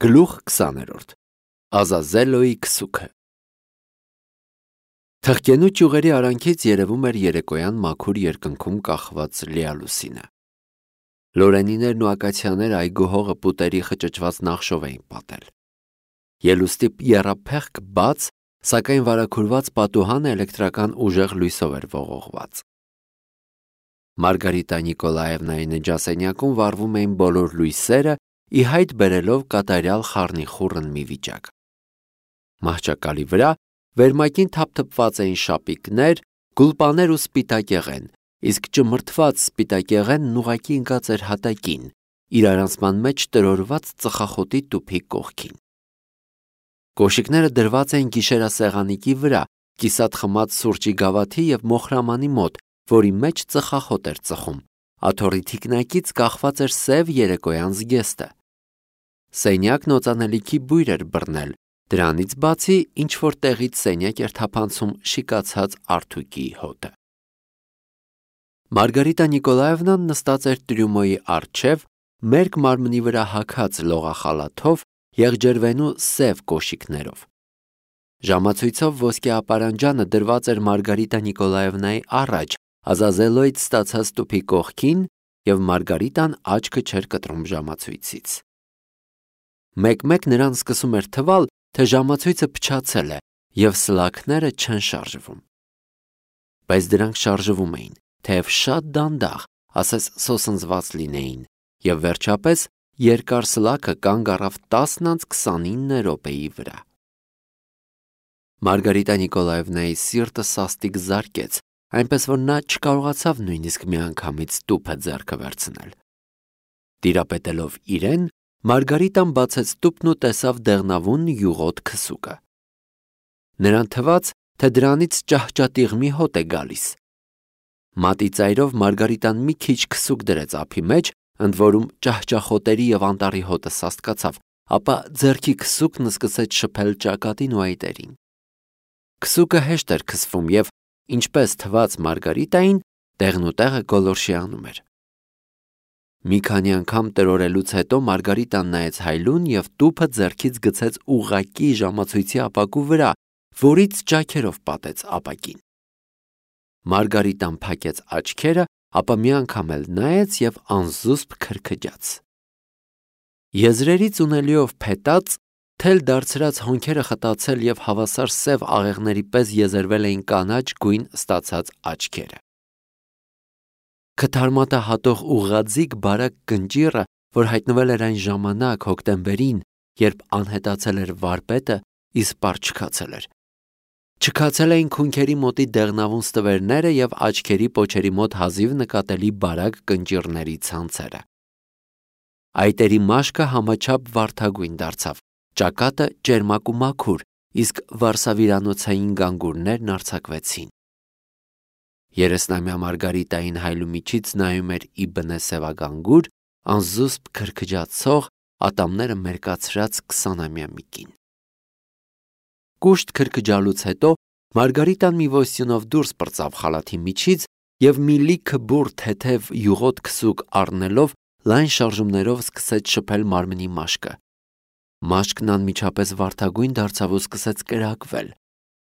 Գլուխ 20-րդ Ազազելոյի քսուքը Թղկենու ճյուղերի արանքից երևում էր երեկոյան մաքուր երկնքում կախված լիալուսինը։ Լորենիներն ու ակացիաները այգուհողը պուտերի խճճված նախշով էին պատել։ Ելուստի եռափեղկ բաց, սակայն վարագուրված պատուհանը էլեկտրական ուժեղ լույսով էր ողողված։ Մարգարիտա Նիկոլաևնայի նջասենյակում վառվում էին բոլոր լույսերը, ի հայտ բերելով կատարյալ խառնիխուռն մի վիճակ։ Մահճակալի վրա վերմակին թափթփված էին շապիկներ, գուլպաներ ու սպիտակեղեն, իսկ ճմրթված սպիտակեղենն ուղղակի ընկած էր հատակին, իրարանցման մեջ տրորված ծխախոտի տուփի կողքին։ Կոշիկները դրված էին գիշերասեղանիկի վրա, կիսատ խմած սուրճի գավաթի և մոխրամանի մոտ, որի մեջ ծխախոտ էր ծխում, աթոռի թիկնակից կախված էր սև երեկոյան զգեստը։ Սենյակն օծանելիքի բույր էր բռնել, դրանից բացի ինչ-որ տեղից սենյակ էր թափանցում շիկացած արթուկի հոտը։ Մարգարիտա Նիկոլաևնան նստած էր տրյումոյի առջև, մերկ մարմնի վրա հագած լողախալաթով, եղջերվենու սև կոշիկներով։ Ժամացույցով ոսկե ապարանջանը դրված էր Մարգարիտա Նիկոլաևնայի առաջ, Ազազելոյից ստացած տուփի կողքին, և Մարգարիտան աչքը չէր կտրում ժամացույցից։ Մեկ-մեկ նրան սկսում էր թվալ, թե ժամացույցը փչացել է, և սլաքները չեն շարժվում։ Բայց դրանք շարժվում էին, թեև շատ դանդաղ, ասես սոսնձված լինեին, և վերջապես երկար սլաքը կանգ առավ 10:29 րոպեի վրա։ Մարգարիտա Նիկոլաևնայի սիրտը սաստիկ զարկեց, այնպես որ նա չկարողացավ նույնիսկ միանգամից տուփը ձեռքը վերցնել։ Տիրապետելով իրեն, Մարգարիտան բացեց տուփն ու տեսավ դեղնավուն յուղոտ քսուկը։ Նրան թվաց, թե դրանից ճահճատիղմի հոտ է գալիս։ Մատի ծայրով Մարգարիտան մի քիչ քսուկ դրեց ափի մեջ, ընդ որում ճահճախոտերի և անտառի հոտը սաստկացավ, ապա ձեռքի քսուկն սկսեց շփել ճակատին ու այտերին։ Քսուկը հեշտ էր քսվում և, ինչպես թվաց Մարգարիտային, տեղնուտեղը գոլորշի անում էր։ Մի քանի անգամ տրորելուց հետո Մարգարիտան նայեց հայլուն և տուփը ձեռքից գցեց ուղղակի ժամացույցի ապակու վրա, որից ճաքերով պատեց ապակին։ Մարգարիտան փակեց աչքերը, ապա մի անգամ էլ նայեց և անզուսպ քրքջաց։ Եզրերից ունելիով փետած, թել դարձրած հոնքերը խտացել և հավասար սև աղեղների պես եզերվել էին կանաչ գույն ստացած աչքերը։ Քթարմատահատող ուղղաձիգ բարակ կնճիռը, որ հայտնվել էր այն ժամանակ հոկտեմբերին, երբ անհետացել էր վարպետը, իսպառ չքացել էր։ Չքացել էին քունքերի մոտի դեղնավուն ստվերները և աչքերի պոչերի մոտ հազիվ նկատելի բարակ կնճիռների ցանցերը։ Այտերի մաշկը համաչափ վարդագույն դարձավ, ճակատը ճերմակ ու մաքուր, իսկ վարսավիրանոցային գանգուրներն արձակվեցին։ Երեսնամյա Մարգարիտային հայլու միջից նայում էր ի բնե սևագանգուր, անզուսպ քրքջացող, ատամները մերկացրած 20-ամյա մի կին։ Կուշտ քրքջալուց հետո Մարգարիտան մի ոստյունով դուրս պրծավ խալաթի միջից և մի լիքը բուռ թեթև յուղոտ քսուկ առնելով լայն շարժումներով սկսեց շփել մարմնի մաշկը։ Մաշկն անմիջապես վարդագույն դարձավ ու սկսեց կրակվել։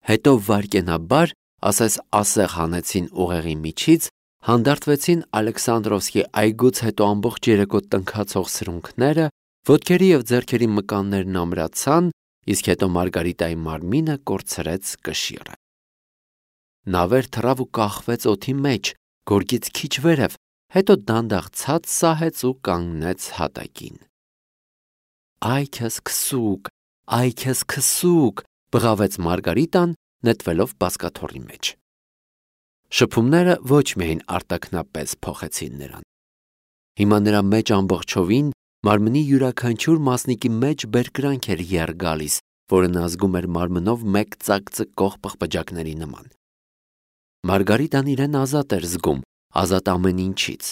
Հետո վայրկենաբար, ասես ասեղ հանեցին ուղեղի միջից, հանդարտվեցին Ալեքսանդրովսկի այգուց հետո ամբողջ երեկո տնքացող սրունքները, ոտքերի և ձեռքերի մկաններն ամրացան, իսկ հետո Մարգարիտայի մարմինը կորցրեց կշիռը։ Նա վեր թռավ ու կախվեց օդի մեջ, գորգից քիչ վերև, հետո դանդաղ ցած սահեց ու կանգնեց հատակին։ «Այ քեզ քսուկ, այ քեզ քսուկ», բղավեց Մարգարիտան, նետվելով բազկաթոռի մեջ։ Շփումները ոչ միայն արտաքնապես փոխեցին նրան։ Հիմա նրա մեջ ամբողջովին մարմնի յուրաքանչյուր մասնիկի մեջ բերկրանք էր եռ գալիս, որը նա զգում էր մարմնով մեկ ծակծկող պղպջակների նման։ Մարգարիտան իրեն ազատ էր զգում, ազատ ամեն ինչից։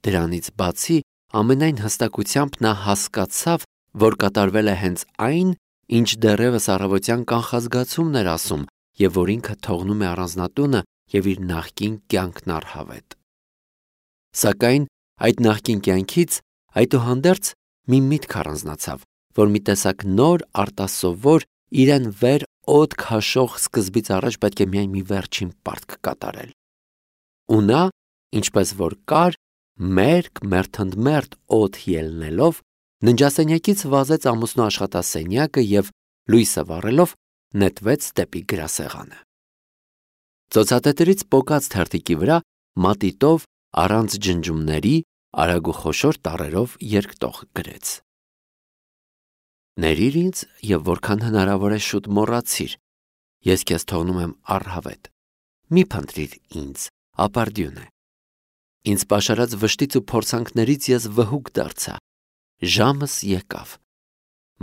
Դրանից բացի, ամենայն հստակությամբ նա հասկացավ, որ կատարվել է հենց այն, ինչ դեռևս առավոտյան կանխազգացումն էր ասում և որ ինքը թողնում է առանձնատունը և իր նախկին կյանքն առհավետ։ Սակայն այդ նախկին կյանքից այդուհանդերձ մի միտք առանձնացավ, որ մի տեսակ նոր արտասովոր իրեն վեր օդ քաշող սկզբից առաջ պետք է միայն մի վերջին պարտք կատարել։ Ու նա, ինչպես որ կար, մերթ օդ ելնելով, ննջասենյակից վազեց ամուսնու աշխատասենյակը և լույսը վառելով նետվեց դեպի գրասեղանը։ Ծոցատետրից պոկած թերթիկի վրա մատիտով առանց ջնջումների արագ ու խոշոր տառերով երկտող գրեց. «Ներիր ինձ և որքան հնարավոր է շուտ մոռացիր, ես քեզ թողնում եմ առհավետ, մի փնտրիր ինձ, ապարդյուն է։ Ինձ պաշարած վշտից ու փորձանքներից ես վհուկ դարձա, ժամս եկավ,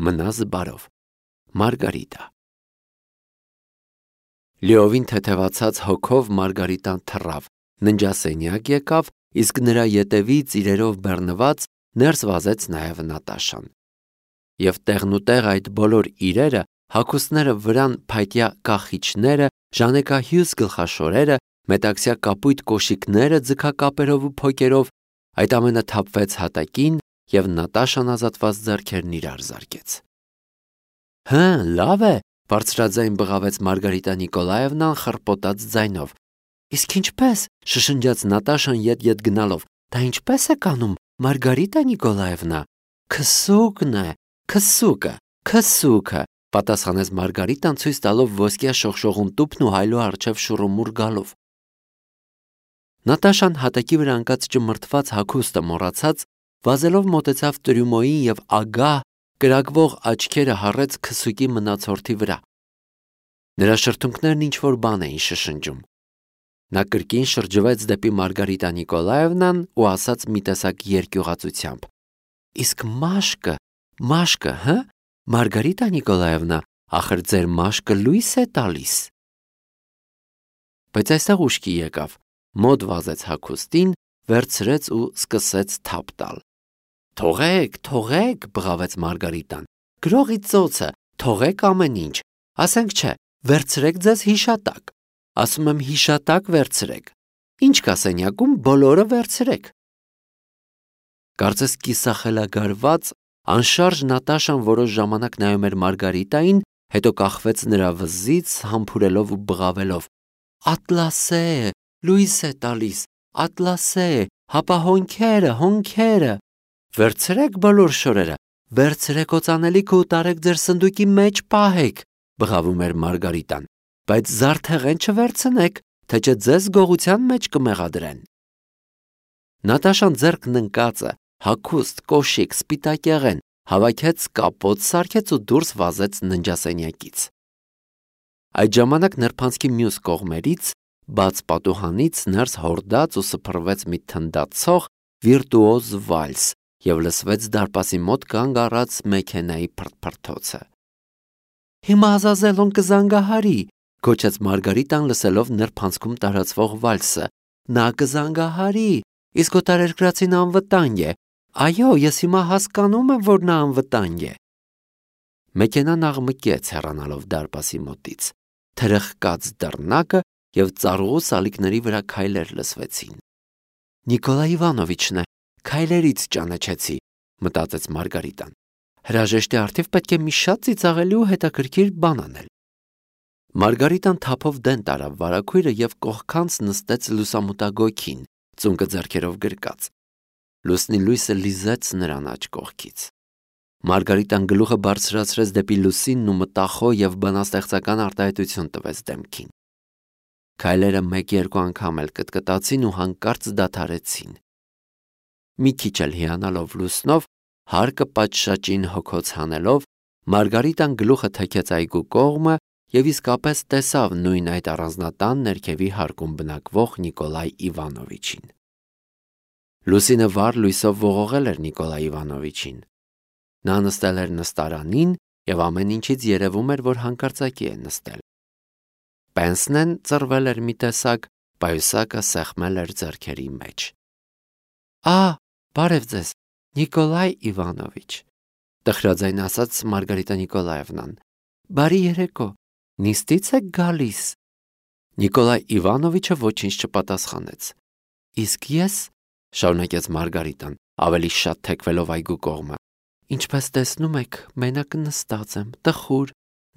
մնա զբարով, Մարգարիտա»։ Լիովին թեթևացած հոգով Մարգարիտան թռավ, ննջասենյակ եկավ, իսկ նրա ետևից իրերով բեռնված ներս վազեց նաև Նատաշան։ Եվ տեղնուտեղ այդ բոլոր իրերը, հագուստները վրան փայտյա կախիչները, ժանեկահյուս գլխաշորերը, մետաքսյա կապույտ կոշիկները ձգակապերով ու փոկերով, այդ ամենը թափվեց հատակին և Նատաշան ազատված ձեռքերն իրար զարկեց։ «Հը, լավ է», բարձրաձայն բղավեց Մարգարիտա Նիկոլաևնան խռպոտած ձայնով։ «Իսկ ինչպես», շշնջաց Նատաշան ետ գնալով, «դա ինչպես եք անում, Մարգարիտա Նիկոլաևնա»։ «Քսուկն է, քսուկը», պատասխանեց Մարգարիտան ցույց տալով ոսկյա շողշողուն տուփն ու հայլու առջև շուռումուռ գալով։ Նատաշան հատակի վրա ընկած ճմրթված հագուստը մոռացած, վազելով մոտեցավ Տրյումոյին և ագահ, կրակվող աչքերը հառեց քսուկի մնացորդի վրա։ Նրա շրթունքներն ինչ-որ բան էին շշնջում։ Նա կրկին շրջվեց դեպի Մարգարիտա Նիկոլաևնան ու ասաց մի տեսակ երկյուղածությամբ. «Իսկ մաշկը, հը, Մարգարիտա Նիկոլաևնա, ախր ձեր մաշկը լույս է տալիս»։ Բայց այստեղ ուշքի եկավ, մոտ վազեց հագուստին, վերցրեց ու սկսեց թափ տալ։ «Թողեք», բղավեց Մարգարիտան, «գրողի ծոցը, թողեք ամեն ինչ, ասենք չէ, վերցրեք ձեզ հիշատակ, ասում եմ հիշատակ վերցրեք, ինչ կա սենյակում, բոլորը վերցրեք»։ Կարծես կիսախելագարված, անշարժ Նատաշան որոշ ժամանակ նայում էր Մարգարիտային, հետո կախվեց նրա վզից, համբուրելով ու բղավելով. «Ատլասե, լույս է տալիս, ատլասե, հապա հոնքերը, վերցրեք բոլոր շորերը, վերցրեք օծանելիքը ու տարեք ձեր սնդուկի մեջ պահեք», բղավում էր Մարգարիտան, «բայց զարդեղեն չվերցնեք, թե չէ ձեզ գողության մեջ կմեղադրեն»։ Նատաշան ձեռքն ընկածը, հագուստ, կոշիկ, սպիտակեղեն, հավաքեց կապոտ սարքեց ու դուրս վազեց ննջասենյակից։ Այդ ժամանակ նրբանցքի մյուս կողմերից, բաց պատուհանից ներս հորդաց ու սփռվեց մի թնդացող վիրտուոզ վալս և լսվեց դարպասի մոտ կանգ առած մեքենայի փրթփրթոցը։ «Հիմա Ազազելոն կզանգահարի», գոչեց Մարգարիտան լսելով նրբանցքում տարածվող վալսը։ «Նա կզանգահարի, իսկ օտարերկրացին անվտանգ է։ Այո, ես հիմա հասկանում եմ, որ նա անվտանգ է»։ Մեքենան աղմկեց հեռանալով դարպասի մոտից, թրխկաց դռնակը և ծառուղու սալիկների վրա քայլեր լսվեցին։ «Նիկոլայ Իվանովիչն է, քայլերից ճանաչեցի», մտածեց Մարգարիտան։ Հրաժեշտի առթիվ պետք է մի շատ ծիծաղելի ու հետաքրքիր բան անել։ Մարգարիտան թափով դեն տարավ վարագույրը և կողքանց նստեց լուսամուտագոգին, ծունկը ձեռքերով գրկած։ Լուսնի լույսը լիզեց նրան աջ կողքից։ Մարգարիտան գլուխը բարձրացրեց դեպի լուսինն ու մտախոհ և բանաստեղծական արտահայտություն տվեց դեմքին։ Քայլերը մեկ-երկու անգամ էլ կտկտացին ու հանկարծ դադարեցին։ Մի քիչ էլ հիանալով լուսնով, հարկը պատշաճին հոգոց հանելով, Մարգարիտան գլուխը թեքեց այգու կողմը և իսկապես տեսավ նույն այդ առանձնատան ներքևի հարկում բնակվող Նիկոլայ Իվանովիչին։ Լուսինը վառ լույսով ողողել էր Նիկոլայ Իվանովիչին։ Նա նստել էր նստարանին և ամեն ինչից երևում էր, որ հանկարծակի է նստել։ Պենսնեն ծռվել էր մի տեսակ, պայուսակը սեղմել էր ձեռքերի մեջ։ Բարև ձեզ, Նիկոլայ Իվանովիչ, տխրաձայն ասաց Մարգարիտա Նիկոլաևնան։ Բարի երեկո, նիստից եք գալիս։ Նիկոլայ Իվանովիչը ոչինչ չպատասխանեց։ Իսկ ես, շարունակեց Մարգարիտան, ավելի շատ թեքվելով այգու կողմը, Ինչպես տեսնում եք, մենակ նստած եմ, տխուր,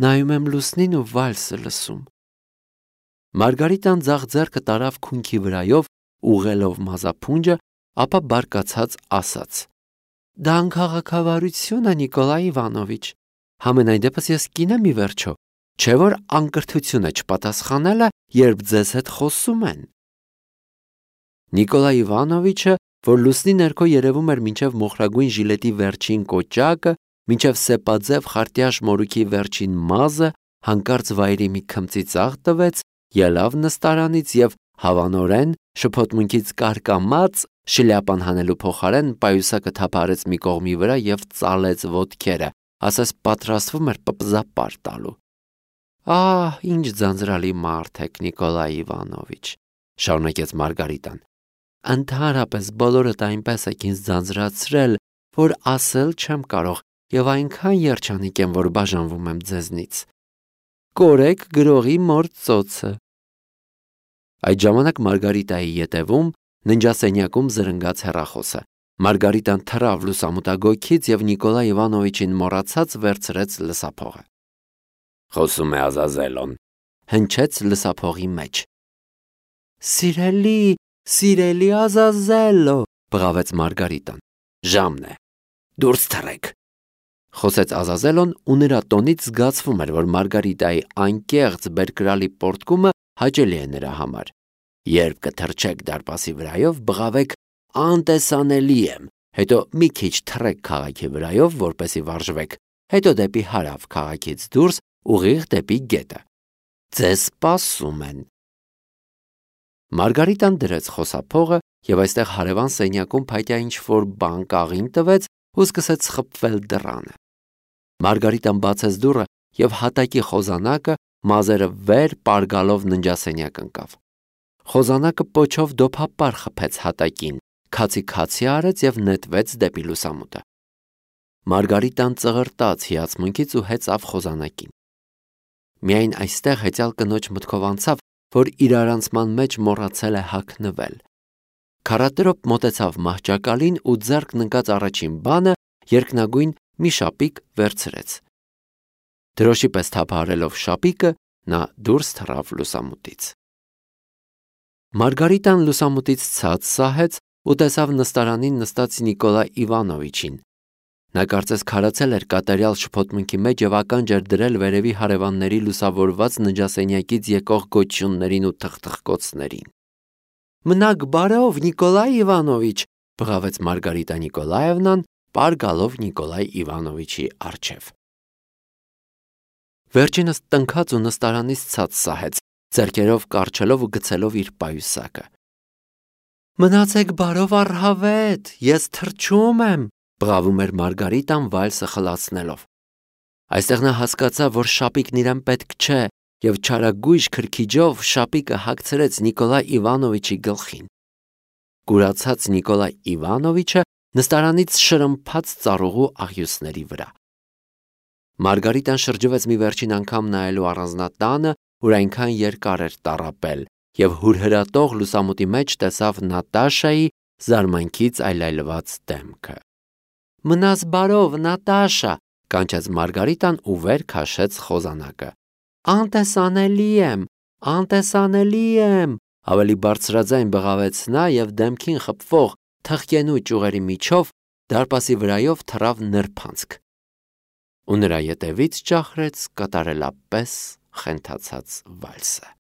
նայում եմ լուսնին ու վալսը լսում։ Մարգարիտան ձախ ձեռքը տարավ քունքի վրայով, ուղղելով մազափունջը, ապա բարկացած ասաց. Դա անքաղաքավարություն է, Նիկոլայ Իվանովիչ։ Համենայն դեպս ես կին եմ ի վերջո, չէ որ անկրթություն է չպատասխանելը, երբ ձեզ հետ խոսում են։ Նիկոլայ Իվանովիչը, որ լուսնի ներքո երևում էր մինչև մոխրագույն ժիլետի վերջին կոճակը, մինչև սեպաձև խարտյաշ մորուքի վերջին մազը, հանկարծ վայրի մի քմծի ծաղ տվեց, ելավ նստարանից և հավանորեն շփոթմունքից կարկամած շլյապան հանելու փոխարեն պայուսակը թափարեց մի կողմի վրա և ծալեց ոտքերը, ասես պատրաստվում էր պպզապար տալու։ Ահ, ինչ ձանձրալի մարդ եք, Նիկոլայ Իվանովիչ, շարունակեց Մարգարիտան։ Ընդհանրապես բոլորդ այնպես եք ինձ ձանձրացրել, որ ասել չեմ կարող և այնքան երջանիկ եմ, որ բաժանվում եմ ձեզնից։ Կորեք գրողի մոր ծոցը։ Այդ ժամանակ Մարգարիտայի ետևում ննջասենյակում զրնգաց հեռախոսը։ Մարգարիտան թռավ լուսամուտագոգից և Նիկոլայ Իվանովիչին մոռացած վերցրեց լսափողը։ Խոսում է Ազազելոն, հնչեց լսափողի մեջ։ Սիրելի Ազազելո, բղավեց Մարգարիտան։ Ժամն է, դուրս թռեք, խոսեց Ազազելոն ու նրա տոնից զգացվում էր, որ Մարգարիտայի անկեղծ բերկրալի պոռթկումը հաճելի է նրա համար։ Երբ կթռչեք դարպասի վրայով, բղավեք անտեսանելի եմ, հետո մի քիչ թռեք քաղաքի վրայով, որպեսզի վարժվեք, հետո դեպի հարավ քաղաքից դուրս ուղիղ դեպի գետը։ Ձեզ սպասում են։ Մարգարիտան դրեց խոսափողը և այստեղ հարևան սենյակում փայտյա ինչ-որ բան կաղին տվեց ու սկսեց խփվել դռանը։ Մարգարիտան բացեց դուռը և հատակի խոզանակը մազերը վեր պարգալով ննջասենյակ ընկավ։ Խոզանակը պոչով դոփապար խփեց հատակին, քացի արեց և նետվեց դեպի լուսամուտը։ Մարգարիտան ծղրտաց հիացմունքից ու հեծավ խոզանակին։ Միայն այստեղ հեծյալ կնոջ մտքով անցավ, որ իրարանցման մեջ մոռացել է հագնվել։ Քառատրոպ մոտեցավ մահճակալին ու ձեռքն ընկած առաջին բանը երկնագույն մի շապիկ վերցրեց։ Դրոշի պես թափահարելով շապիկը, նա դուրս թռավ լուսամուտից։ Մարգարիտան լուսամուտից ցած սահեց ու տեսավ նստարանին նստած Նիկոլայ Իվանովիչին։ Նա կարծես քարացել էր կատարյալ շփոթմունքի մեջ և ականջ էր դրել վերևի հարևանների լուսավորված ննջասենյակից եկող գոչյուններին ու թխթխկոցներին։ Մնաք բարով, Նիկոլայ Իվանովիչ, բղավեց Մարգարիտա Նիկոլաևնան, պարգալով Նիկոլայ Իվանովիչի առջև։ Վերջինս տնքաց ու նստարանից ցած սահեց, ձեռքերով կառչելով ու գցելով իր պայուսակը։ Մնացեք բարով առհավետ, ես թռչում եմ, բղավում էր Մարգարիտան վալսը խլացնելով։ Այստեղ նա հասկացավ, որ շապիկն իրեն պետք չէ, և չարագույժ քրքիջով շապիկը հագցրեց Նիկոլայ Իվանովիչի գլխին։ Կուրացած Նիկոլայ Իվանովիչը նստարանից շրմփաց ծառուղու աղյուսների վրա։ Մարգարիտան շրջվեց մի վերջին անգամ նայելու առանձնատանը, որ այնքան երկար էր տառապել, և հուրհրատող լուսամուտի մեջ տեսավ Նատաշայի զարմանքից այլայլված դեմքը։ Մնաս բարով, Նատաշա, կանչեց Մարգարիտան ու վեր քաշեց խոզանակը։ Անտեսանելի եմ, ավելի բարձրաձայն բղավեց նա և դեմքին խփվող թխկենու ճյուղերի միջով դարպասի վրայով թռավ նրբանցք։ Ու նրա ետևից ճախրեց կատարելապես խենթացած վալսը։